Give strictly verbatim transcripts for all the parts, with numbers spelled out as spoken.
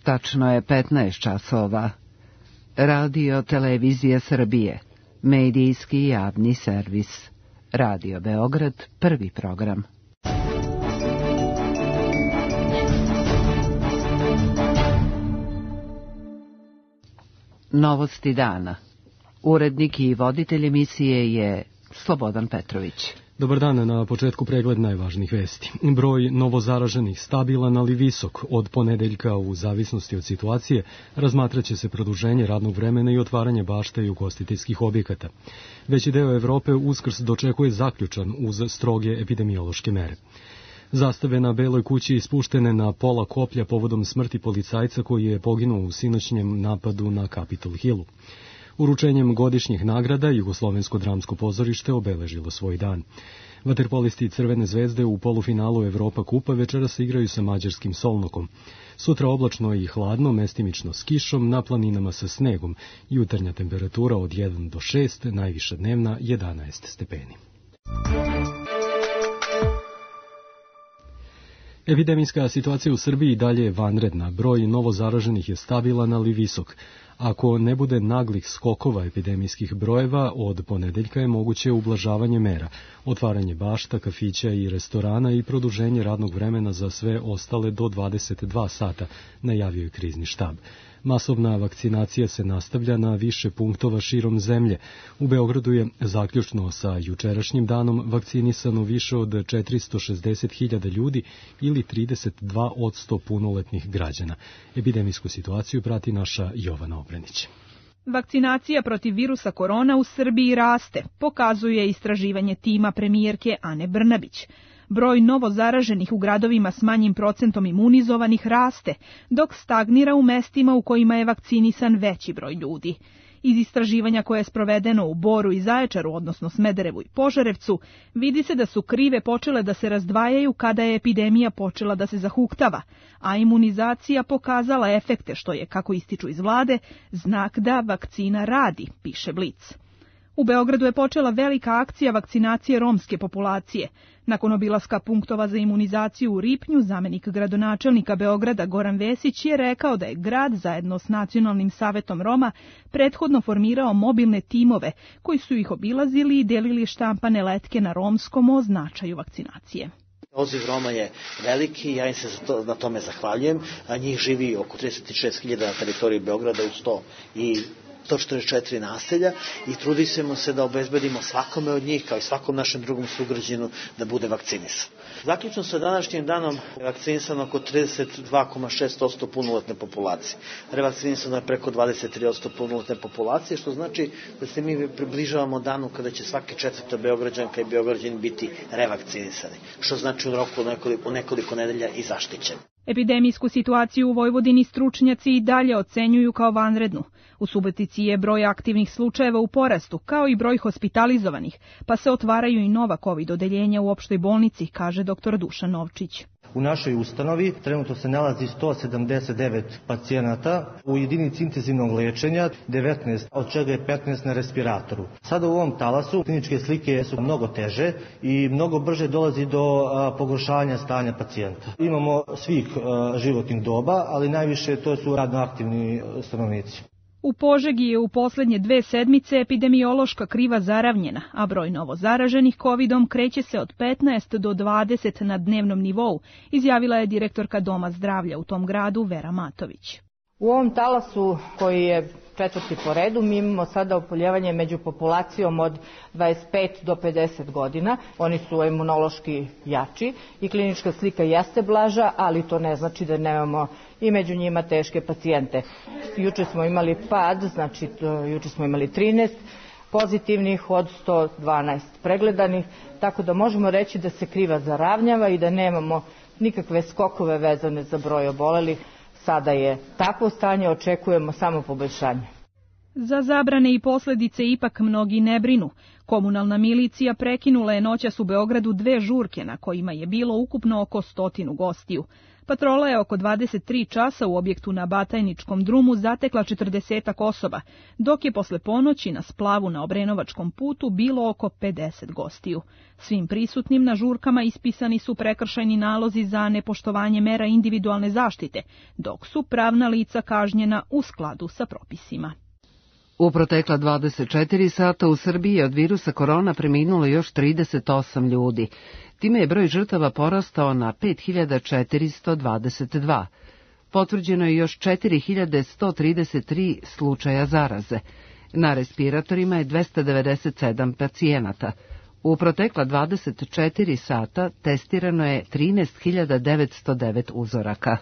Tačno je petnaest časova. Radio Televizija Srbije, medijski javni servis. Radio Beograd, prvi program. Novosti dana. Urednik i voditelj emisije je Slobodan Petrović. Dobar dan, na početku pregled najvažnijih vesti. Broj novozaraženih stabilan, ali visok. Od ponedeljka, u zavisnosti od situacije, razmatraće se produženje radnog vremena i otvaranje bašta i ugostiteljskih objekata. Veći deo Evrope Uskrs dočekuje zaključan uz stroge epidemiološke mere. Zastave na Beloj kući ispuštene na pola koplja povodom smrti policajca koji je poginuo u sinoćnjem napadu na Capitol Hillu. Uručenjem godišnjih nagrada Jugoslovensko dramsko pozorište obeležilo svoj dan. Vaterpolisti Crvene zvezde u polufinalu Evropa kupa večeras se igraju sa mađarskim Solnokom. Sutra oblačno i hladno, mestimično s kišom, na planinama sa snegom. Jutarnja temperatura od jedan do šest, najviša dnevna jedanaest stepeni. Epidemijska situacija u Srbiji dalje je vanredna. Broj novozaraženih je stabilan, ali visok. Ako ne bude naglih skokova epidemijskih brojeva, od ponedeljka je moguće ublažavanje mera, otvaranje bašta, kafića i restorana i produženje radnog vremena za sve ostale do dvadeset dva sata, najavio je krizni štab. Masovna vakcinacija se nastavlja na više punktova širom zemlje. U Beogradu je zaključno sa jučerašnjim danom vakcinisano više od četiristo šezdeset hiljada ljudi ili trideset dva posto punoletnih građana. Epidemijsku situaciju prati naša Jovana Obrenić. Vakcinacija protiv virusa korona u Srbiji raste, pokazuje istraživanje tima premijerke Ane Brnabić. Broj novozaraženih u gradovima s manjim procentom imunizovanih raste, dok stagnira u mestima u kojima je vakcinisan veći broj ljudi. Iz istraživanja koje je sprovedeno u Boru i Zaječaru, odnosno Smederevu i Požarevcu, vidi se da su krive počele da se razdvajaju kada je epidemija počela da se zahuktava, a imunizacija pokazala efekte, što je, kako ističu iz vlade, znak da vakcina radi, piše Blic. U Beogradu je počela velika akcija vakcinacije romske populacije. Nakon obilaska punktova za imunizaciju u Ripnju, zamenik gradonačelnika Beograda Goran Vesić je rekao da je grad zajedno s Nacionalnim savetom Roma prethodno formirao mobilne timove koji su ih obilazili i delili štampane letke na romskom o značaju vakcinacije. Odziv Roma je veliki, ja im se za to, na tome zahvaljujem, a njih živi oko trideset šest hiljada na teritoriji Beograda u sto četrdeset četiri naselja i trudimo se da obezbedimo svakome od njih, kao i svakom našem drugom sugrađaninu, da bude vakcinisan. Zaključno sa današnjim danom je vakcinisano oko trideset dva zarez šest posto punoletne populacije. Revakcinisano je preko dvadeset tri posto punoletne populacije, što znači da se mi približavamo danu kada će svaki četvrta Beograđanka i Beograđanin biti revakcinisani, što znači u roku nekoliko, nekoliko nedelja i zaštićen. Epidemijsku situaciju u Vojvodini stručnjaci i dalje ocenjuju kao vanrednu. U Subotici je broj aktivnih slučajeva u porastu, kao i broj hospitalizovanih, pa se otvaraju i nova COVID odeljenja u opštoj bolnici, kaže doktor Dušan Novčić. U našoj ustanovi trenutno se nalazi sto sedamdeset devet pacijenata, u jedinici intenzivnog lečenja devetnaest, od čega je petnaest na respiratoru. Sada u ovom talasu kliničke slike su mnogo teže i mnogo brže dolazi do a, pogoršavanja stanja pacijenta. Imamo svih a, životnih doba, ali najviše to su radno aktivni stanovnici. U Požegi je u poslednje dve sedmice epidemiološka kriva zaravnjena, a broj novo zaraženih kovidom kreće se od petnaest do dvadeset na dnevnom nivou, izjavila je direktorka Doma zdravlja u tom gradu Vera Matović. U ovom talasu koji je četvrti po redu, mi imamo sada oboljevanje među populacijom od dvadeset pet do pedeset godina. Oni su imunološki jači i klinička slika jeste blaža, ali to ne znači da nemamo i među njima teške pacijente. Juče smo imali pad, znači juče smo imali trinaest pozitivnih od sto dvanaest pregledanih, tako da možemo reći da se kriva zaravnjava i da nemamo nikakve skokove vezane za broj obolelih. Sada je takvo stanje, očekujemo samo poboljšanje. Za zabrane i posljedice ipak mnogi ne brinu. Komunalna milicija prekinula je noćas u Beogradu dve žurke na kojima je bilo ukupno oko stotinu gostiju. Patrola je oko dvadeset tri časa u objektu na Batajničkom drumu zatekla četrdesetak osoba, dok je posle ponoći na splavu na Obrenovačkom putu bilo oko pedeset gostiju. Svim prisutnim na žurkama ispisani su prekršajni nalozi za nepoštovanje mera individualne zaštite, dok su pravna lica kažnjena u skladu sa propisima. U protekla dvadeset četiri sata u Srbiji je od virusa korona preminulo još trideset osam ljudi. Time je broj žrtava porastao na pet hiljada četiristo dvadeset dva. Potvrđeno je još četiri hiljade sto trideset tri slučaja zaraze. Na respiratorima je dvesta devedeset sedam pacijenata. U protekla dvadeset četiri sata testirano je trinaest hiljada devetsto devet uzoraka.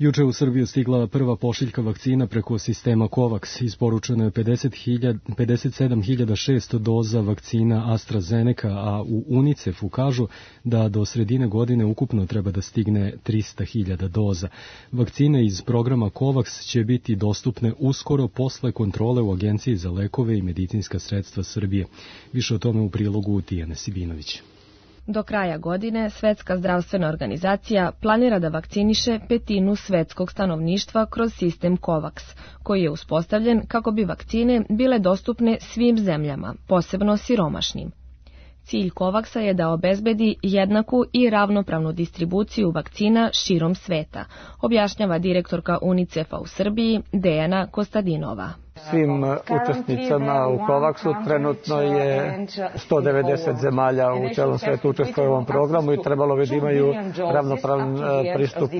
Juče u Srbiju stigla prva pošiljka vakcina preko sistema COVAX. Isporučeno je pedeset sedam hiljada šesto doza vakcina AstraZeneca, a u UNICEF-u kažu da do sredine godine ukupno treba da stigne trista hiljada doza. Vakcine iz programa COVAX će biti dostupne uskoro posle kontrole u Agenciji za lekove i medicinska sredstva Srbije. Više o tome u prilogu Tijane Sibinović. Do kraja godine Svetska zdravstvena organizacija planira da vakciniše petinu svetskog stanovništva kroz sistem COVAX, koji je uspostavljen kako bi vakcine bile dostupne svim zemljama, posebno siromašnim. Cilj COVAX-a je da obezbedi jednaku i ravnopravnu distribuciju vakcina širom sveta, objašnjava direktorka UNICEF-a u Srbiji Dejana Kostadinova. Svim učesnicama u COVAX-u trenutno je sto devedeset zemalja u celom svetu učestvuje u ovom programu i trebalo bi da imaju ravnopravan pristup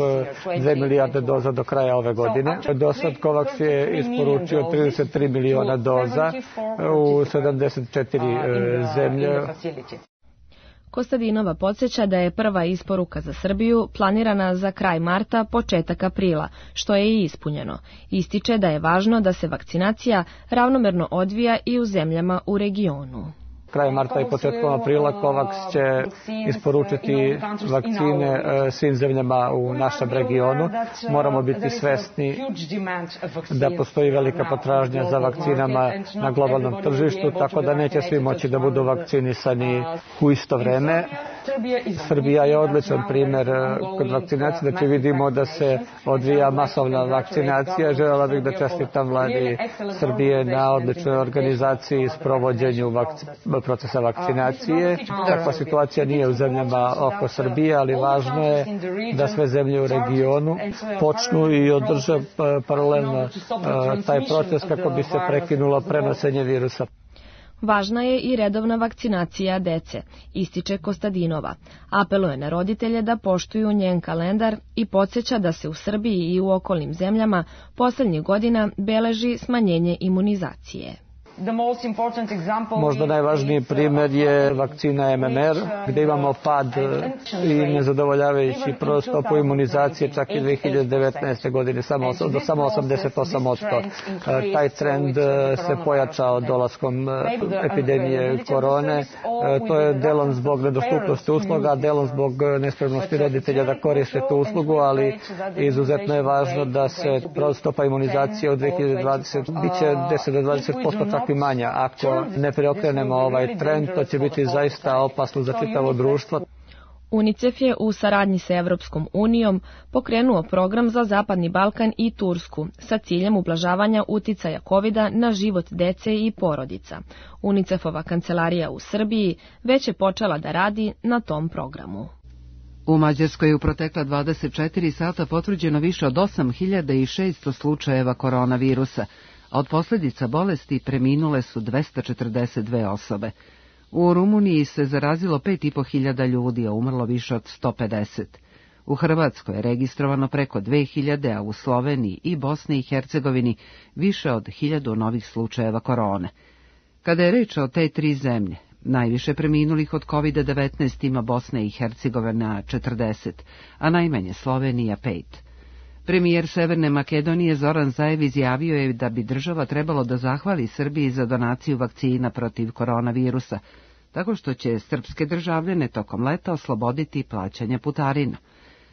dve milijarde doza do kraja ove godine. Do sad COVAX je isporučio trideset tri miliona doza u sedamdeset četiri zemlje. Kostadinova podsjeća da je prva isporuka za Srbiju planirana za kraj marta, početak aprila, što je i ispunjeno. Ističe da je važno da se vakcinacija ravnomerno odvija i u zemljama u regionu. Krajem marta i početkom aprila COVAX će isporučiti vakcine svim zemljama u našem regionu. Moramo biti svesni da postoji velika potražnja za vakcinama na globalnom tržištu, tako da neće svi moći da budu vakcinisani u isto vreme. Srbija je odličan primjer kod vakcinacije, znači vidimo da se odvija masovna vakcinacija. Želela bih da čestitam vladi Srbije na odličnoj organizaciji i sprovođenju vakcinacije. procesa vakcinacije. Takva situacija nije u zemljama oko Srbije, ali važno je da sve zemlje u regionu počnu i održe paralelno taj proces kako bi se prekinulo prenošenje virusa. Važna je i redovna vakcinacija dece, ističe Kostadinova. Apeluje na roditelje da poštuju njen kalendar i podsjeća da se u Srbiji i u okolnim zemljama posljednjih godina beleži smanjenje imunizacije. Možda najvažniji primjer je vakcina M M R, gdje imamo pad i nezadovoljavajući stopu imunizacije čak i dve hiljade devetnaeste. godine samo, do samo osamdeset osam posto. Taj trend se pojačao dolaskom epidemije korone. To je delom zbog nedostupnosti usluga, delom zbog nespremnosti roditelja da koriste tu uslugu, ali izuzetno je važno da se stopa imunizacije u dve hiljade dvadesete. biće deset do dvadeset posto čak i manja. Ako ne preokrenemo ovaj trend, to će biti zaista opasno za čitavo društvo. UNICEF je u saradnji sa Evropskom unijom pokrenuo program za Zapadni Balkan i Tursku sa ciljem ublažavanja uticaja kovida na život dece i porodica. UNICEF-ova kancelarija u Srbiji već je počela da radi na tom programu. U Mađarskoj je u protekla dvadeset četiri sata potvrđeno više od osam hiljada šesto slučajeva koronavirusa, a od posljedica bolesti preminule su dvesta četrdeset dve osobe. U Rumuniji se zarazilo pet i po hiljada ljudi, a umrlo više od sto pedeset. U Hrvatskoj je registrovano preko dve hiljade, a u Sloveniji i Bosni i Hercegovini više od hiljadu novih slučajeva korone. Kada je reč o te tri zemlje, najviše preminulih od kovid devetnaest ima Bosna i Hercegovina četrdeset, a najmanje Slovenija pet. Premijer Severne Makedonije Zoran Zaev izjavio je da bi država trebalo da zahvali Srbiji za donaciju vakcina protiv koronavirusa, tako što će srpske državljane tokom leta osloboditi plaćanja putarina.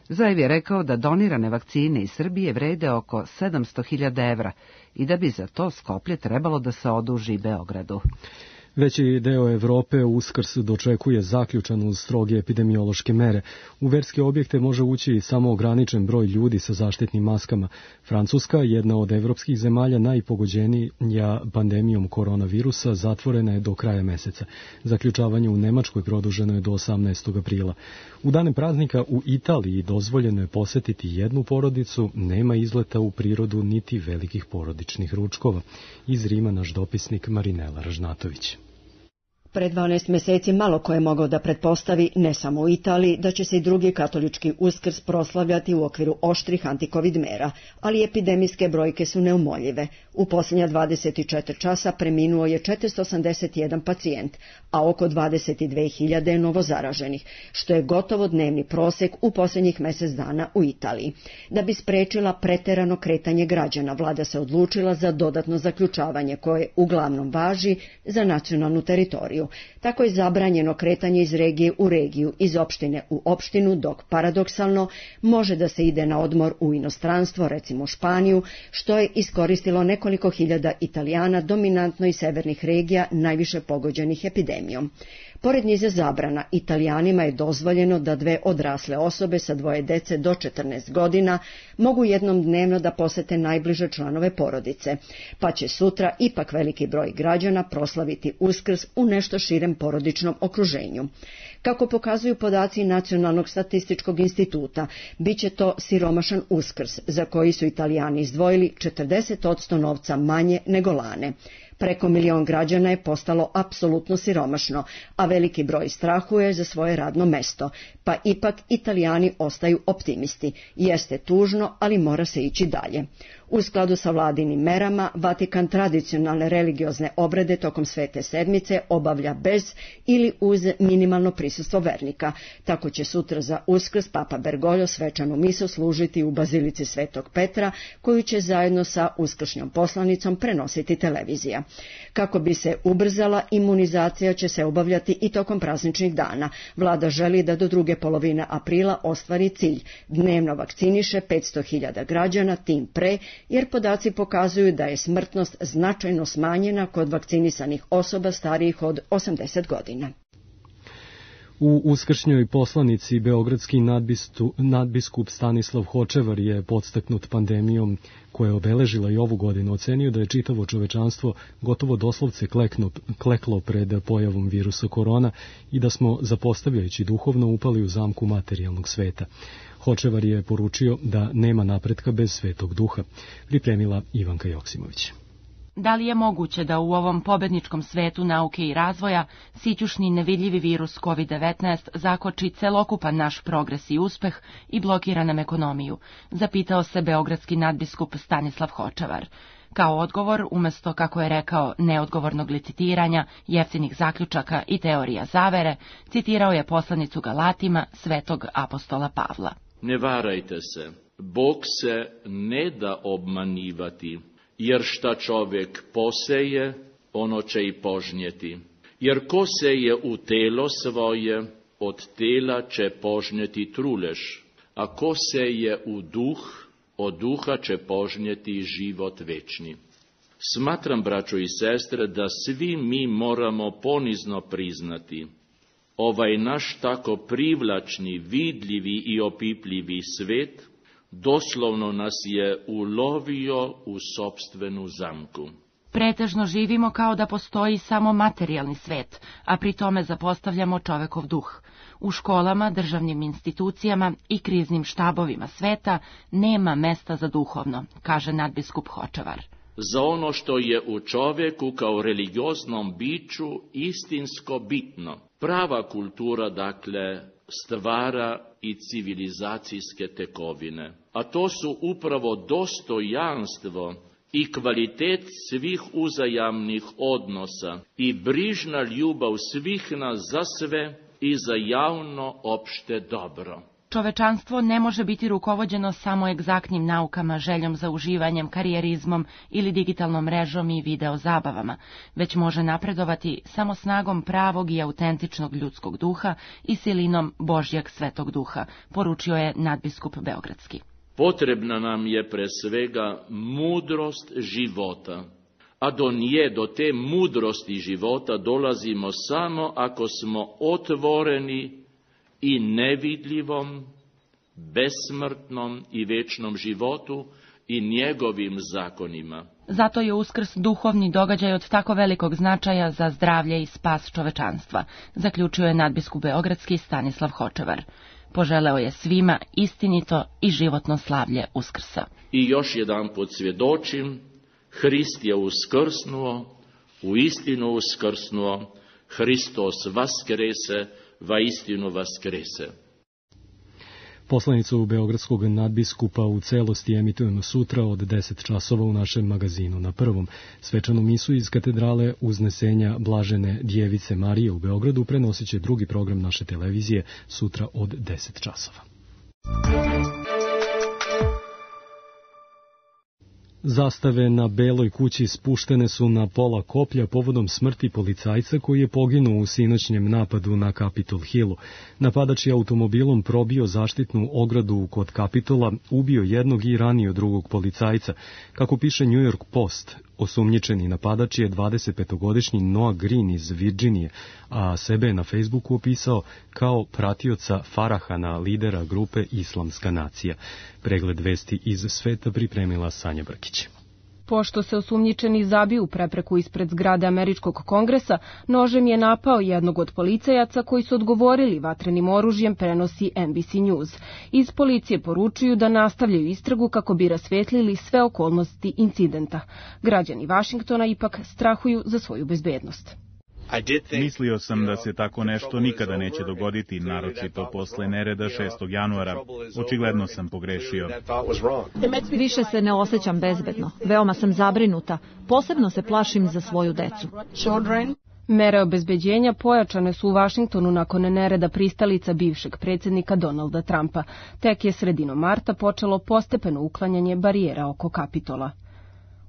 Zajev je rekao da donirane vakcine iz Srbije vrede oko sedamsto hiljada evra i da bi za to Skoplje trebalo da se oduži Beogradu. Veći deo Evrope Uskrs dočekuje zaključan uz stroge epidemiološke mere. U verske objekte može ući samo ograničen broj ljudi sa zaštitnim maskama. Francuska, jedna od evropskih zemalja najpogođenija pandemijom koronavirusa, zatvorena je do kraja meseca. Zaključavanje u Nemačkoj produženo je do osamnaestog aprila. U dane praznika u Italiji dozvoljeno je posetiti jednu porodicu, nema izleta u prirodu niti velikih porodičnih ručkova. Iz Rima naš dopisnik Marinela Ražnatović. Pre dvanaest meseci malo ko je mogao da pretpostavi, ne samo u Italiji, da će se i drugi katolički Uskrs proslavljati u okviru oštrih antikovid mera, ali epidemijske brojke su neumoljive. U posljednja dvadeset četiri časa preminuo je četiristo osamdeset jedan pacijent, a oko dvadeset dve hiljade je novozaraženih, što je gotovo dnevni prosek u posljednjih mesec dana u Italiji. Da bi sprečila preterano kretanje građana, vlada se odlučila za dodatno zaključavanje koje uglavnom važi za nacionalnu teritoriju. Tako je zabranjeno kretanje iz regije u regiju, iz opštine u opštinu, dok paradoksalno može da se ide na odmor u inostranstvo, recimo u Španiju, što je iskoristilo nekoliko hiljada Italijana, dominantno iz severnih regija, najviše pogođenih epidemijom. Pored niza zabrana, Italijanima je dozvoljeno da dve odrasle osobe sa dvoje dece do četrnaest godina mogu jednom dnevno da posete najbliže članove porodice, pa će sutra ipak veliki broj građana proslaviti Uskrs u nešto širem porodičnom okruženju. Kako pokazuju podaci Nacionalnog statističkog instituta, bit će to siromašan Uskrs, za koji su Italijani izdvojili četrdeset posto novca manje nego lane. Preko milion građana je postalo apsolutno siromašno, a veliki broj strahuje za svoje radno mesto, pa ipak Italijani ostaju optimisti. Jeste tužno, ali mora se ići dalje. U skladu sa vladinim merama, Vatikan tradicionalne religiozne obrede tokom Svete sedmice obavlja bez ili uz minimalno prisustvo vernika. Tako će sutra za Uskrs Papa Bergoglio svečanu misu služiti u Bazilici Svetog Petra, koju će zajedno sa uskršnjom poslanicom prenositi televizija. Kako bi se ubrzala, imunizacija će se obavljati i tokom prazničnih dana. Vlada želi da do druge polovine aprila ostvari cilj. Dnevno vakciniše petsto hiljada građana, tim pre, jer podaci pokazuju da je smrtnost značajno smanjena kod vakcinisanih osoba starijih od osamdeset godina. U uskršnjoj poslanici beogradski nadbistu, nadbiskup Stanislav Hočevar je podstaknut pandemijom koja je obeležila i ovu godinu ocenio da je čitavo čovečanstvo gotovo doslovce klekno, kleklo pred pojavom virusa korona i da smo, zapostavljajući duhovno, upali u zamku materijalnog sveta. Hočevar je poručio da nema napretka bez svetog duha. Pripremila Ivanka Joksimović. Da li je moguće da u ovom pobedničkom svetu nauke i razvoja sićušni nevidljivi virus kovid devetnaest zakoči celokupan naš progres i uspeh i blokira nam ekonomiju, zapitao se beogradski nadbiskup Stanislav Hočevar. Kao odgovor, umesto, kako je rekao, neodgovornog licitiranja, jeftinih zaključaka i teorija zavere, citirao je poslanicu Galatima svetog apostola Pavla. Ne varajte se, Bog se ne da obmanjivati. Jer šta čovjek poseje, ono će i požnjeti. Jer ko seje u telo svoje, od tela će požnjeti truleš, a ko seje u duh, od duha će požnjeti život večni. Smatram, braćo i sestre, da svi mi moramo ponizno priznati, ovaj naš tako privlačni, vidljivi i opipljivi svet, doslovno nas je ulovio u sopstvenu zamku. Pretežno živimo kao da postoji samo materijalni svet, a pri tome zapostavljamo čovekov duh. U školama, državnim institucijama i kriznim štabovima sveta nema mesta za duhovno, kaže nadbiskup Hočevar. Za ono što je u čovjeku kao religioznom biću istinsko bitno. Prava kultura, dakle, stvara i civilizacijske tekovine. A to su upravo dostojanstvo i kvalitet svih uzajamnih odnosa i brižna ljubav svih nas za sve i za javno opšte dobro. Čovečanstvo ne može biti rukovođeno samo egzaktnim naukama, željom za uživanjem, karijerizmom ili digitalnom mrežom i video zabavama, već može napredovati samo snagom pravog i autentičnog ljudskog duha i silinom Božjeg svetog duha, poručio je nadbiskup Beogradski. Potrebna nam je pre svega mudrost života, a do nje, do te mudrosti života dolazimo samo ako smo otvoreni i nevidljivom, besmrtnom i večnom životu i njegovim zakonima. Zato je Uskrs duhovni događaj od tako velikog značaja za zdravlje i spas čovečanstva, zaključio je nadbiskup Beogradski Stanislav Hočevar. Poželeo je svima istinito i životno slavlje Uskrsa. I još jedan put svjedočim, Hrist je uskrsnuo, u istinu uskrsnuo, Hristos vaskrese, va istinu vaskrese. Poslanicu Beogradskog nadbiskupa u celosti emitujemo sutra od deset časova u našem magazinu Na prvom. Svečanu misu iz katedrale Uznesenja Blažene Djevice Marije u Beogradu prenosit će drugi program naše televizije sutra od deset časova. Zastave na Beloj kući spuštene su na pola koplja povodom smrti policajca koji je poginuo u sinoćnjem napadu na Capitol Hillu. Napadač je automobilom probio zaštitnu ogradu kod Capitola, ubio jednog i ranio drugog policajca. Kako piše New York Post, osumnjičeni napadač je dvadesetpetogodišnji Noah Green iz Virginije, a sebe je na Facebooku opisao kao pratioca Farahana, lidera grupe Islamska nacija. Pregled vesti iz sveta pripremila Sanja Brkić. Pošto se osumnjičeni zabio u prepreku ispred zgrade Američkog kongresa, nožem je napao jednog od policajaca koji su odgovorili vatrenim oružjem, prenosi N B C News. Iz policije poručuju da nastavljaju istragu kako bi rasvetlili sve okolnosti incidenta. Građani Vašingtona ipak strahuju za svoju bezbednost. Mislio sam da se tako nešto nikada neće dogoditi, naročito posle nereda šestog januara. Očigledno sam pogrešio. Više se ne osjećam bezbedno. Veoma sam zabrinuta. Posebno se plašim za svoju decu. Mere obezbeđenja pojačane su u Vašingtonu nakon nereda pristalica bivšeg predsjednika Donalda Trumpa. Tek je sredinom marta počelo postepeno uklanjanje barijera oko Kapitola.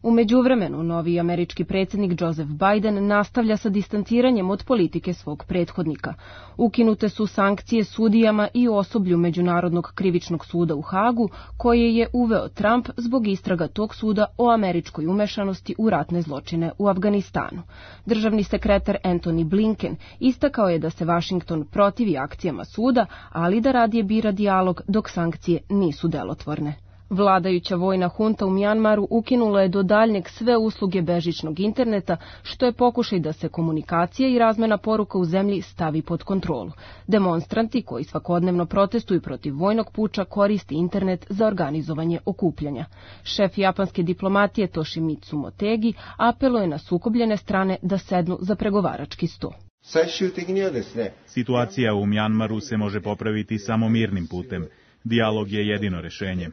U međuvremenu, novi američki predsjednik Joseph Biden nastavlja sa distanciranjem od politike svog prethodnika. Ukinute su sankcije sudijama i osoblju Međunarodnog krivičnog suda u Hagu, koje je uveo Trump zbog istraga tog suda o američkoj umešanosti u ratne zločine u Afganistanu. Državni sekretar Antony Blinken istakao je da se Washington protivi akcijama suda, ali da radije bira dijalog dok sankcije nisu delotvorne. Vladajuća vojna hunta u Mjanmaru ukinula je do daljnjeg sve usluge bežičnog interneta, što je pokušaj da se komunikacija i razmena poruka u zemlji stavi pod kontrolu. Demonstranti koji svakodnevno protestuju protiv vojnog puča koriste internet za organizovanje okupljanja. Šef japanske diplomatije Toshimitsu Motegi apeluje na sukobljene strane da sednu za pregovarački sto. Situacija u Mjanmaru se može popraviti samo mirnim putem. Dijalog je jedino rešenje.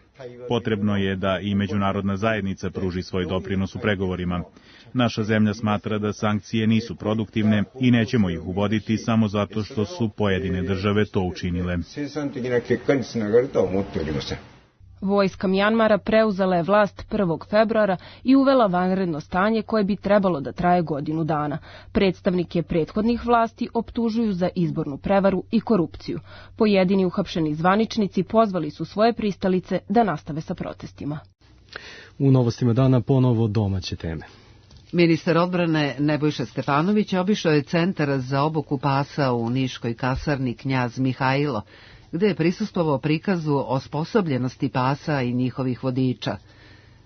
Potrebno je da i međunarodna zajednica pruži svoj doprinos u pregovorima. Naša zemlja smatra da sankcije nisu produktivne i nećemo ih uvoditi samo zato što su pojedine države to učinile. Vojska Mjanmara preuzela je vlast prvog februara i uvela vanredno stanje koje bi trebalo da traje godinu dana. Predstavnike prethodnih vlasti optužuju za izbornu prevaru i korupciju. Pojedini uhapšeni zvaničnici pozvali su svoje pristalice da nastave sa protestima. U novostima dana ponovo domaće teme. Ministar odbrane Nebojša Stefanović obišao je centar za obuku pasa u niškoj kasarni Knjaz Mihajlo, gde je prisustvovao prikazu osposobljenosti pasa i njihovih vodiča.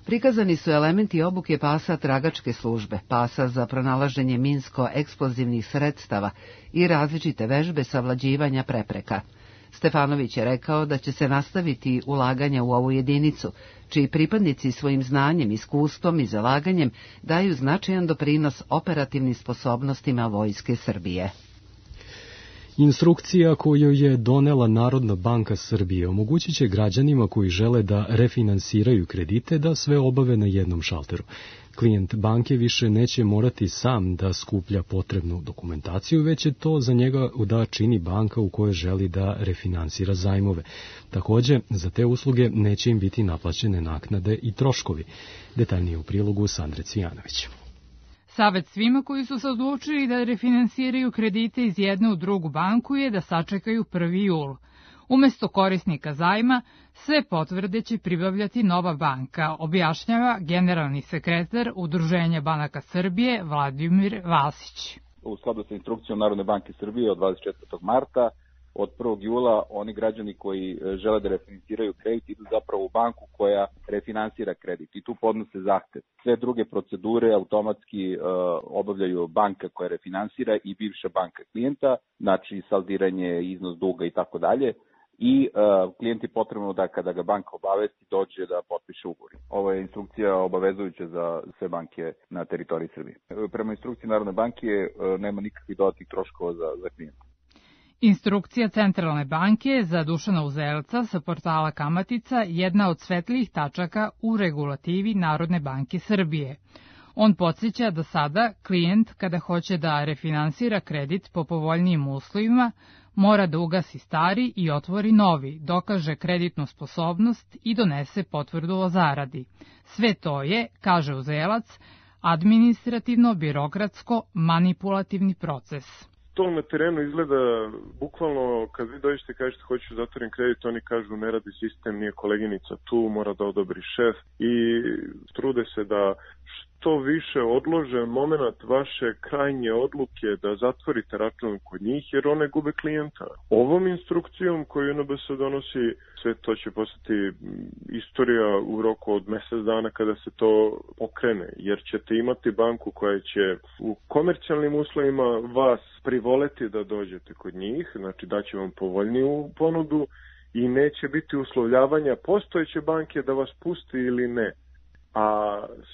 Prikazani su elementi obuke pasa tragačke službe, pasa za pronalaženje minsko-eksplozivnih sredstava i različite vežbe savlađivanja prepreka. Stefanović je rekao da će se nastaviti ulaganja u ovu jedinicu, čiji pripadnici svojim znanjem, iskustvom i zalaganjem daju značajan doprinos operativnim sposobnostima Vojske Srbije. Instrukcija koju je donela Narodna banka Srbije omogućit će građanima koji žele da refinansiraju kredite da sve obave na jednom šalteru. Klijent banke više neće morati sam da skuplja potrebnu dokumentaciju, već je to za njega da čini banka u kojoj želi da refinansira zajmove. Takođe, za te usluge neće im biti naplaćene naknade i troškovi. Detaljnije u prilogu Sandre Cvijanović. Savet svima koji su se odlučili da refinansiraju kredite iz jedne u drugu banku je da sačekaju prvi jul. Umesto korisnika zajma, sve potvrde će pribavljati nova banka, objašnjava generalni sekretar Udruženja banaka Srbije Vladimir Vasić. U skladu sa instrukcijom Narodne banke Srbije od dvadeset četvrtog marta, od prvog jula oni građani koji žele da refinansiraju kredit idu zapravo u banku koja refinansira kredit i tu podnose zahtev. Sve druge procedure automatski uh, obavljaju banka koja refinansira i bivša banka klijenta, znači saldiranje, iznos duga i tako dalje. I uh, klijent je potrebno da kada ga banka obavesti dođe da potpiše ugovor. Ovo je instrukcija obavezujuća za sve banke na teritoriji Srbije. Prema instrukciji Narodne banke uh, nema nikakvih dodatnih troškova za, za klijenta. Instrukcija Centralne banke za Dušana Uzelca sa portala Kamatica jedna od svetlijih tačaka u regulativi Narodne banke Srbije. On podsjeća da sada klijent kada hoće da refinansira kredit po povoljnijim uslovima mora da ugasi stari i otvori novi, dokaže kreditnu sposobnost i donese potvrdu o zaradi. Sve to je, kaže Uzelac, administrativno-birokratsko manipulativni proces. To na terenu izgleda bukvalno kad vi dođete i kažete hoću zatvorim kredit, oni kažu ne radi sistem, nije koleginica tu, mora da odobri šef i trude se da što više odlože moment vaše krajnje odluke da zatvorite račun kod njih jer one gube klijenta. Ovom instrukcijom koju N B S donosi, sve to će postati istorija u roku od mesec dana kada se to pokrene, jer ćete imati banku koja će u komercijalnim uslovima vas privoleti da dođete kod njih, znači daće vam povoljniju ponudu i neće biti uslovljavanja postojeće banke da vas pusti ili ne. A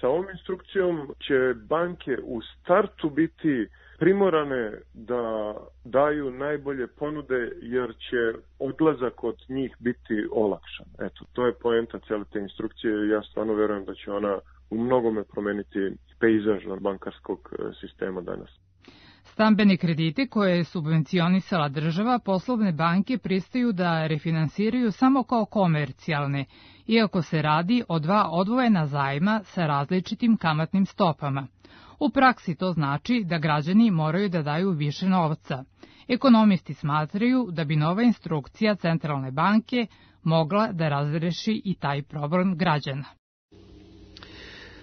sa ovom instrukcijom će banke u startu biti primorane da daju najbolje ponude jer će odlazak od njih biti olakšan. Eto, to je poenta cijele te instrukcije i ja stvarno verujem da će ona u mnogome promeniti pejzaž bankarskog sistema danas. Stambene kredite koje je subvencionisala država, poslovne banke pristaju da refinansiraju samo kao komercijalne, iako se radi o dva odvojena zajma sa različitim kamatnim stopama. U praksi to znači da građani moraju da daju više novca. Ekonomisti smatraju da bi nova instrukcija Centralne banke mogla da razreši i taj problem građana.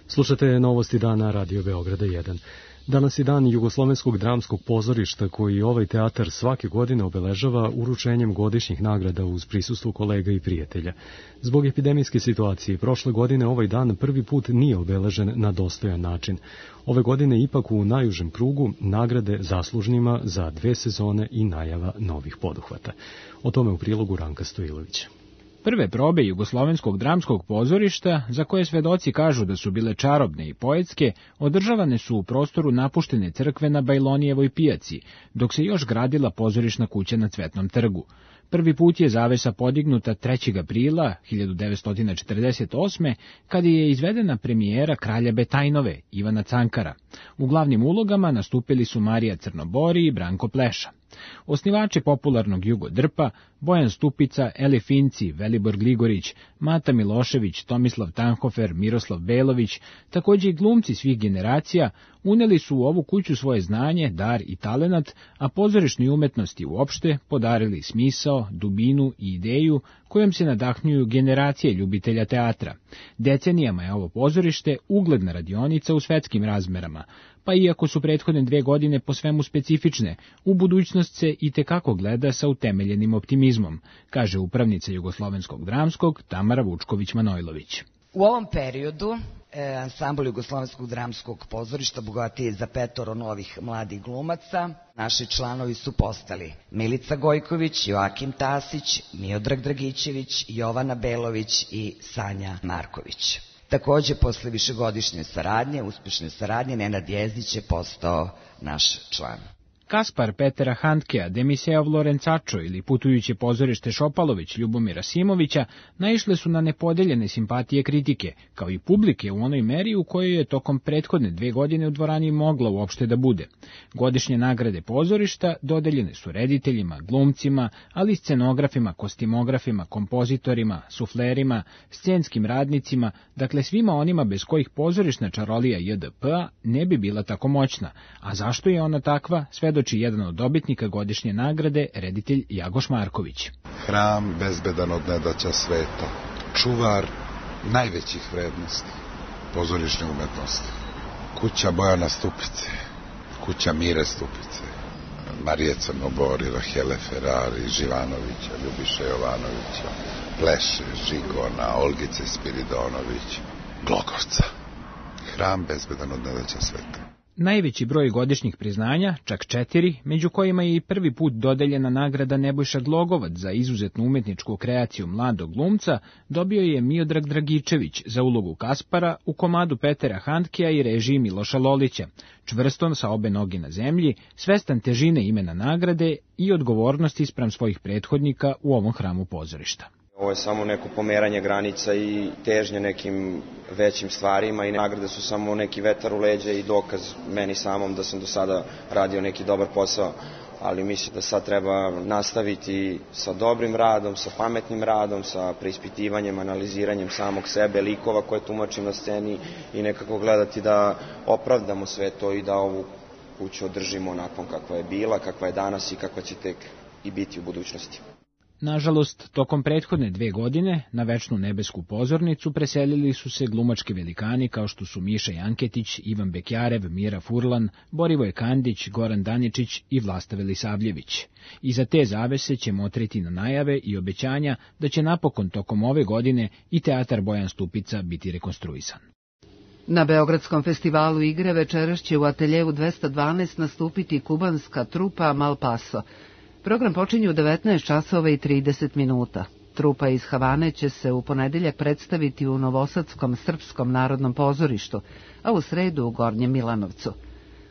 Slušate Novosti dana Radio Beograda jedan. Danas je dan Jugoslovenskog dramskog pozorišta koji ovaj teatar svake godine obeležava uručenjem godišnjih nagrada uz prisustvo kolega i prijatelja. Zbog epidemijske situacije prošle godine ovaj dan prvi put nije obeležen na dostojan način. Ove godine ipak u najužem krugu nagrade zaslužnima za dve sezone i najava novih poduhvata. O tome u prilogu Ranka Stojilovića. Prve probe Jugoslovenskog dramskog pozorišta, za koje svedoci kažu da su bile čarobne i poetske, održavane su u prostoru napuštene crkve na Bajlonijevoj pijaci, dok se još gradila pozorišna kuća na Cvetnom trgu. Prvi put je zavesa podignuta trećeg aprila hiljadu devetsto četrdeset osme kada je izvedena premijera Kralja Betajnove, Ivana Cankara. U glavnim ulogama nastupili su Marija Crnobori i Branko Pleša. Osnivači popularnog Jugodrpa, Bojan Stupica, Eli Finci, Velibor Gligorić, Mata Milošević, Tomislav Tanhofer, Miroslav Belović, takođe i glumci svih generacija, uneli su u ovu kuću svoje znanje, dar i talenat, a pozorišnoj umetnosti uopšte podarili smisao, dubinu i ideju kojom se nadahnjuju generacije ljubitelja teatra. Decenijama je ovo pozorište ugledna radionica u svetskim razmerama, pa iako su prethodne dve godine po svemu specifične, u budućnost se i tekako gleda sa utemeljenim optimizmom, kaže upravnica Jugoslovenskog dramskog Tamara Vučković-Manojlović. U ovom periodu e, ansambl Jugoslovenskog dramskog pozorišta bogatiji je za petoro novih mladih glumaca. Naši članovi su postali Milica Gojković, Joakim Tasić, Miodrag Dragićević, Jovana Belović i Sanja Marković. Takođe, posle višegodišnje saradnje, uspešne saradnje, Nenad Jezdić je postao naš član. Kaspar Petera Handkea, Demiseov Lorencačo ili putujuće pozorište Šopalović Ljubomira Simovića naišle su na nepodeljene simpatije kritike, kao i publike u onoj meri u kojoj je tokom prethodne dve godine u dvorani mogla uopšte da bude. Godišnje nagrade pozorišta dodeljene su rediteljima, glumcima, ali i scenografima, kostimografima, kompozitorima, suflerima, scenskim radnicima, dakle svima onima bez kojih pozorišna čarolija J D P-a ne bi bila tako moćna. A zašto je ona takva, svedoči jedan od dobitnika godišnje nagrade, reditelj Jagoš Marković. Hram bezbedan od nedaća sveta, čuvar najvećih vrednosti pozorišne umetnosti, kuća Bojana Stupice, kuća Mire Stupice, Marije Crnobori, Rahele Ferrari, Živanovića, Ljubiša Jovanovića, Pleše, Žigona, Olgice Spiridonović, Glogovca. Hram bezbedan od nedaća sveta. Najveći broj godišnjih priznanja, čak četiri, među kojima je i prvi put dodeljena nagrada Nebojša Glogovac za izuzetnu umetničku kreaciju mladog glumca, dobio je Miodrag Dragičević za ulogu Kaspara u komadu Petera Handkea i režiji Miloša Lolića, čvrston sa obe noge na zemlji, svestan težine imena nagrade i odgovornosti spram svojih prethodnika u ovom hramu pozorišta. Ovo je samo neko pomeranje granica i težnje nekim većim stvarima i nagrade su samo neki vetar u leđa i dokaz meni samom da sam do sada radio neki dobar posao, ali mislim da sad treba nastaviti sa dobrim radom, sa pametnim radom, sa preispitivanjem, analiziranjem samog sebe, likova koje tumačim na sceni i nekako gledati da opravdamo sve to i da ovu kuću održimo onakvom kakva je bila, kakva je danas i kakva će tek i biti u budućnosti. Nažalost, tokom prethodne dve godine na večnu nebesku pozornicu preselili su se glumački velikani kao što su Miša Janketić, Ivan Bekjarev, Mira Furlan, Borivoje Kandić, Goran Daničić i Vlasta Velisavljević. I za te zavese će motriti na najave i obećanja da će napokon tokom ove godine i teatar Bojan Stupica biti rekonstruisan. Na Beogradskom festivalu igre večeras će u ateljevu dvesta dvanaest nastupiti kubanska trupa Malpaso. Program počinje u devetnaest časova i trideset minuta. Trupa iz Havane će se u ponedeljak predstaviti u Novosadskom srpskom narodnom pozorištu, a u sredu u Gornjem Milanovcu.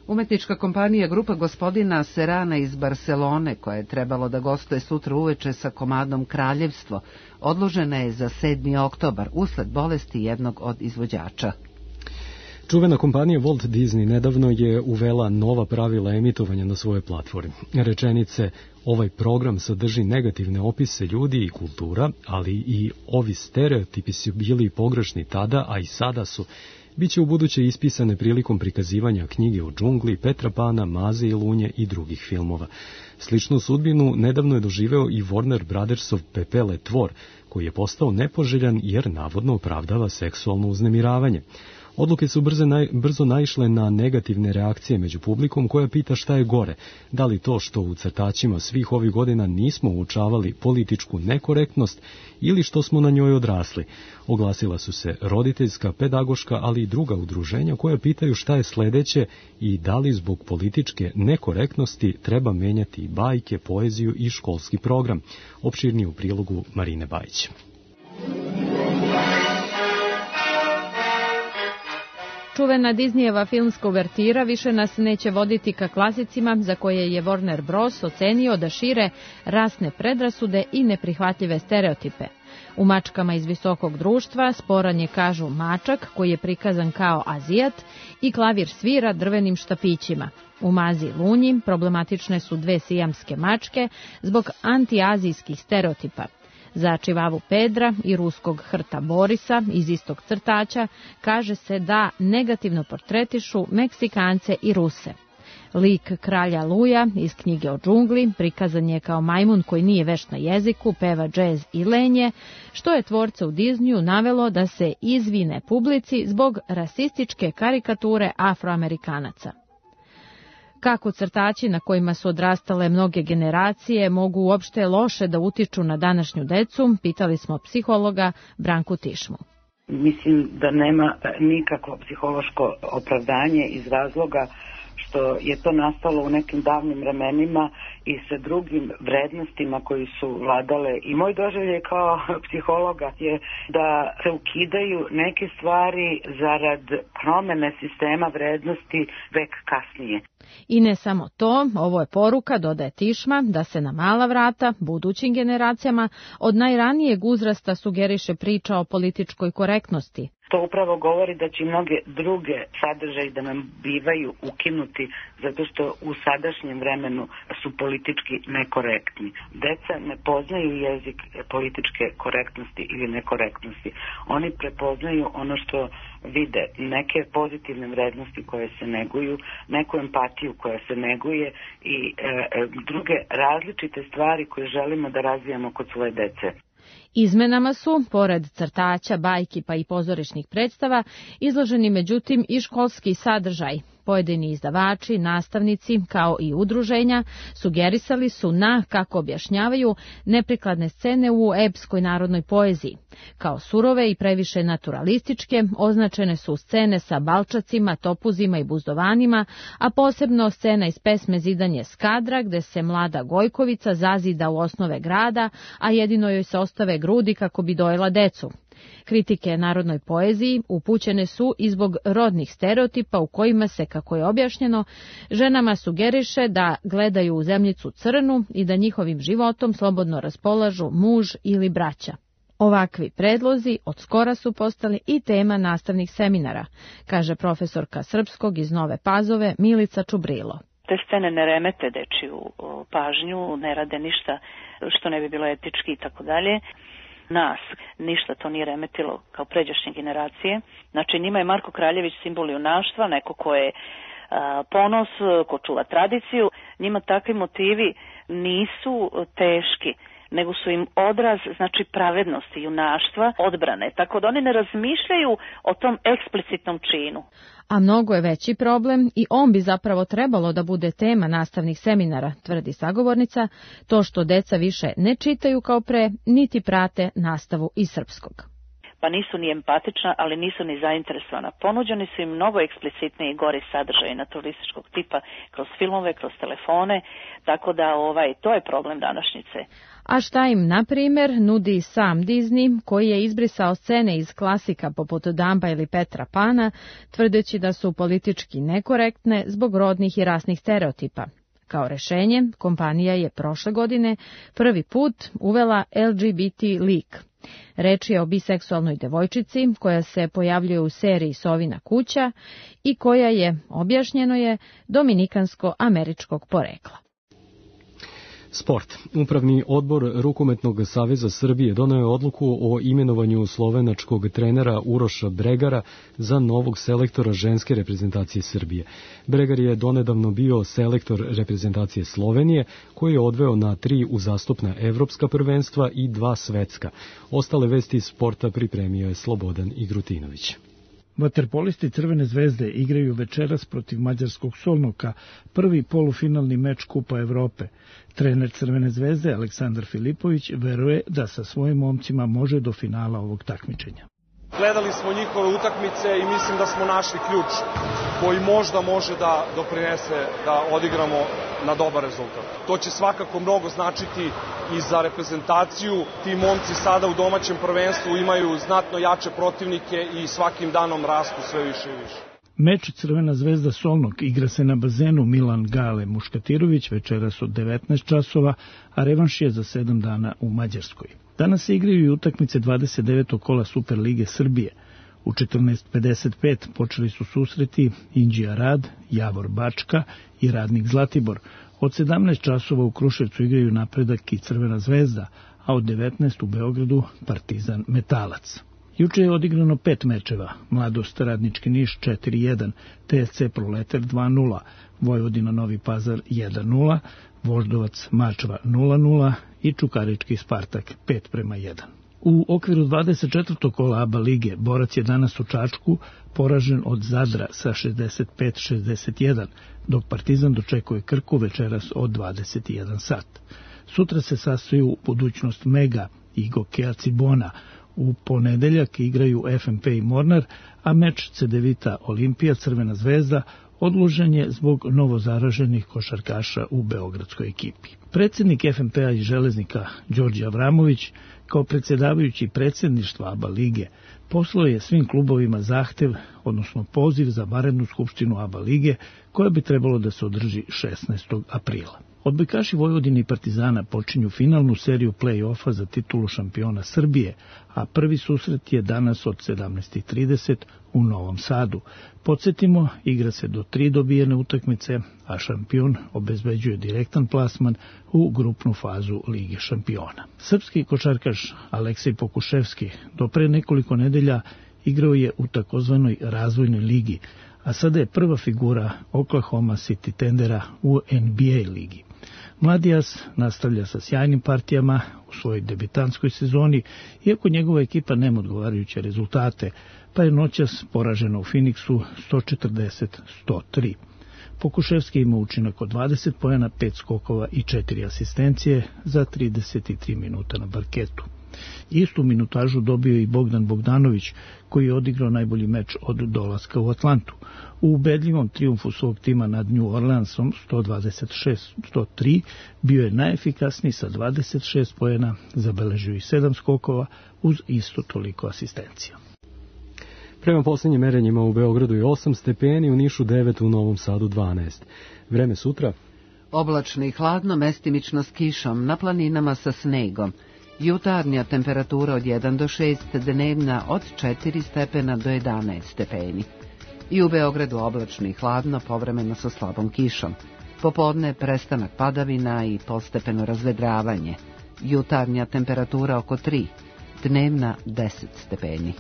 Umetnička kompanija Grupa gospodina Serana iz Barcelone, koja je trebalo da gostuje sutra uveče sa komadom Kraljevstvo, odložena je za sedmi oktobar usled bolesti jednog od izvođača. Čuvena kompanija Walt Disney nedavno je uvela nova pravila emitovanja na svojoj platformi. Rečenice, ovaj program sadrži negativne opise ljudi i kultura, ali i ovi stereotipi su bili pogrešni tada, a i sada su. Biće u buduće ispisane prilikom prikazivanja knjige o džungli, Petra Pana, Maze i Lunje i drugih filmova. Sličnu sudbinu nedavno je doživeo i Warner Brothersov Pepele tvor, koji je postao nepoželjan jer navodno opravdava seksualno uznemiravanje. Odluke su brzo, naj, brzo naišle na negativne reakcije među publikom koja pita šta je gore, da li to što u crtačima svih ovih godina nismo učavali političku nekorektnost ili što smo na njoj odrasli. Oglasila su se roditeljska, pedagoška, ali i druga udruženja koja pitaju šta je sledeće i da li zbog političke nekorektnosti treba menjati bajke, poeziju i školski program. Opširnije u prilogu Marine Bajić. Čuvena Disneyjeva filmska uvertira više nas neće voditi ka klasicima za koje je Warner Bros. Ocenio da šire rasne predrasude i neprihvatljive stereotipe. U Mačkama iz visokog društva sporan je, kažu, mačak koji je prikazan kao Azijat i klavir svira drvenim štapićima. U Mazi i Lunji problematične su dve sijamske mačke zbog antiazijskih stereotipa. Za Čivavu Pedra i ruskog hrta Borisa iz istog crtača kaže se da negativno portretišu Meksikance i Ruse. Lik kralja Luja iz knjige o džungli prikazan je kao majmun koji nije vešt na jeziku, peva džez i lenje, što je tvorca u Disneyu navelo da se izvine publici zbog rasističke karikature Afroamerikanaca. Kako crtači na kojima su odrastale mnoge generacije mogu uopšte loše da utiču na današnju decu, pitali smo psihologa Branku Tišmu. Mislim da nema nikakvo psihološko opravdanje iz razloga što je to nastalo u nekim davnim vremenima i sa drugim vrednostima koji su vladale. I moj doživljaj kao psihologa je da se ukidaju neke stvari zarad promene sistema vrednosti vek kasnije. I ne samo to, ovo je poruka, dodaje Tišma, da se na mala vrata budućim generacijama od najranijeg uzrasta sugeriše priča o političkoj korektnosti. To upravo govori da će mnoge druge sadržaje da nam bivaju ukinuti zato što u sadašnjem vremenu su politički nekorektni. Deca ne poznaju jezik političke korektnosti ili nekorektnosti. Oni prepoznaju ono što vide, neke pozitivne vrednosti koje se neguju, neku empatiju koja se neguje i e, druge različite stvari koje želimo da razvijamo kod svoje dece. Izmenama su, pored crtaća, bajki pa i pozorišnih predstava, izloženi međutim i školski sadržaj. Pojedini izdavači, nastavnici, kao i udruženja, sugerisali su na, kako objašnjavaju, neprikladne scene u epskoj narodnoj poeziji. Kao surove i previše naturalističke, označene su scene sa balčacima, topuzima i buzdovanima, a posebno scena iz pesme Zidanje Skadra, gde se mlada Gojkovica zazida u osnove grada, a jedino joj se ostave grudi kako bi dojela decu. Kritike narodnoj poeziji upućene su i zbog rodnih stereotipa u kojima se, kako je objašnjeno, ženama sugeriše da gledaju u zemljicu crnu i da njihovim životom slobodno raspolažu muž ili braća. Ovakvi predlozi od skora su postali i tema nastavnih seminara, kaže profesorka srpskog iz Nove Pazove Milica Čubrilo. Te scene ne remete dečiju pažnju, ne rade ništa što ne bi bilo etički i tako dalje. Nas ništa to nije remetilo kao pređašnje generacije. Znači njima je Marko Kraljević simbol junaštva, neko ko je a, ponos, ko čuva tradiciju. Njima takvi motivi nisu teški, nego su im odraz, znači, pravednosti, junaštva, odbrane. Tako da oni ne razmišljaju o tom eksplicitnom činu. A mnogo je veći problem i on bi zapravo trebalo da bude tema nastavnih seminara, tvrdi sagovornica, to što deca više ne čitaju kao pre, niti prate nastavu iz srpskog. Pa nisu ni empatična, ali nisu ni zainteresovana. Ponuđeni su im mnogo eksplicitniji i gori sadržaji naturalističkog tipa kroz filmove, kroz telefone, tako da ovaj, to je problem današnjice. A šta im, na primjer, nudi sam Disney, koji je izbrisao scene iz klasika poput Dumba ili Petra Pana, tvrdeći da su politički nekorektne zbog rodnih i rasnih stereotipa. Kao rešenje, kompanija je prošle godine prvi put uvela L G B T lik. Reč je o biseksualnoj devojčici koja se pojavljuje u seriji Sovina kuća i koja je, objašnjeno je, dominikansko-američkog porekla. Sport. Upravni odbor Rukometnog saveza Srbije doneo je odluku o imenovanju slovenačkog trenera Uroša Bregara za novog selektora ženske reprezentacije Srbije. Bregar je donedavno bio selektor reprezentacije Slovenije, koji je odveo na tri uzastopna evropska prvenstva i dva svetska. Ostale vesti iz sporta pripremio je Slobodan Igrutinović. Vaterpolisti Crvene zvezde igraju večeras protiv mađarskog Solnoka, prvi polufinalni meč Kupa Evrope. Trener Crvene zvezde Aleksandar Filipović veruje da sa svojim momcima može do finala ovog takmičenja. Gledali smo njihove utakmice i mislim da smo našli ključ koji možda može da doprinese da odigramo na dobar rezultat. To će svakako mnogo značiti i za reprezentaciju. Ti momci sada u domaćem prvenstvu imaju znatno jače protivnike i svakim danom rastu sve više i više. Meč Crvena zvezda Solnog igra se na bazenu Milan Gale Muškatirović večeras od devetnaest časova, a revanš je za sedam dana u Mađarskoj. Danas se igraju i utakmice dvadeset devetog kola Superlige Srbije. U četrnaest pedeset pet počeli su susreti Inđija Rad, Javor Bačka i Radnik Zlatibor. Od sedamnaest časova u Kruševcu igraju Napredak i Crvena zvezda, a od devetnaest u Beogradu Partizan Metalac. Juče je odigrano pet mečeva, Mladost Radnički Niš četiri jedan, T S C Proletar dva nula, Vojvodina Novi Pazar jedan nula, Voždovac Mačva nula nula i Čukarički Spartak pet prema jedan. U okviru dvadeset četvrtog kola ABA lige Borac je danas u Čačku poražen od Zadra sa šezdeset pet šezdeset jedan, dok Partizan dočekuje Krku večeras od dvadeset jedan sat. Sutra se sastaju Budućnost Mega i Gokea Cibona. U ponedeljak igraju F M P i Mornar, a meč Cedevita Olimpija Crvena zvezda odložen je zbog novozaraženih košarkaša u beogradskoj ekipi. Predsjednik F M P-a i Železnika Đorđe Avramović, kao predsjedavajući predsjedništva A B A lige, poslao je svim klubovima zahtev, odnosno poziv za vanrednu skupštinu A B A lige, koja bi trebalo da se održi šesnaestog aprila. Odbojkaši Vojvodine i Partizana počinju finalnu seriju play-offa za titulu šampiona Srbije, a prvi susret je danas od sedamnaest i trideset u Novom Sadu. Podsjetimo, igra se do tri dobijene utakmice, a šampion obezbeđuje direktan plasman u grupnu fazu Lige šampiona. Srpski košarkaš Aleksej Pokuševski do pre nekoliko nedelja igrao je u takozvanoj razvojnoj ligi, a sada je prva figura Oklahoma City Thundera u N B A ligi. Mladias nastavlja sa sjajnim partijama u svojoj debitanskoj sezoni, iako njegova ekipa nema odgovarajuće rezultate, pa je noćas poražena u Phoenixu sto četrdeset sto tri. Pokuševski ima učinak od dvadeset poena, pet skokova i četiri asistencije za trideset tri minuta na parketu. Istu minutažu dobio i Bogdan Bogdanović, koji je odigrao najbolji meč od dolaska u Atlantu. U ubedljivom trijumfu svog tima nad New Orleansom sto dvadeset šest sto tri bio je najefikasniji sa dvadeset šest poena, zabeležio i sedam skokova uz isto toliko asistencija. Prema posljednjim merenjima u Beogradu je osam stepeni, u Nišu devet, u Novom Sadu dvanaest. Vreme sutra? Oblačno i hladno, mestimično s kišom, na planinama sa snegom. Jutarnja temperatura od jedan do šest, dnevna od četiri stepena do jedanaest stepeni. I u Beogradu oblačno i hladno, povremeno sa slabom kišom. Popodne prestanak padavina i postepeno razvedravanje. Jutarnja temperatura oko tri, dnevna deset stepeni.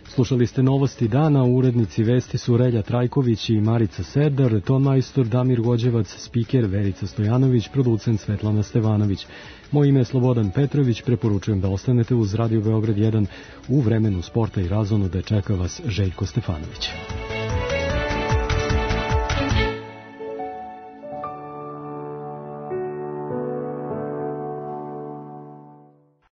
Slušali ste novosti dana, urednici vesti su Relja Trajković i Marica Serdar, tonmajstor Damir Gođevac, spiker Verica Stojanović, producent Svetlana Stevanović. Moje ime je Slobodan Petrović, preporučujem da ostanete uz Radio Beograd jedan u vremenu sporta i razonode, čeka vas Željko Stefanović.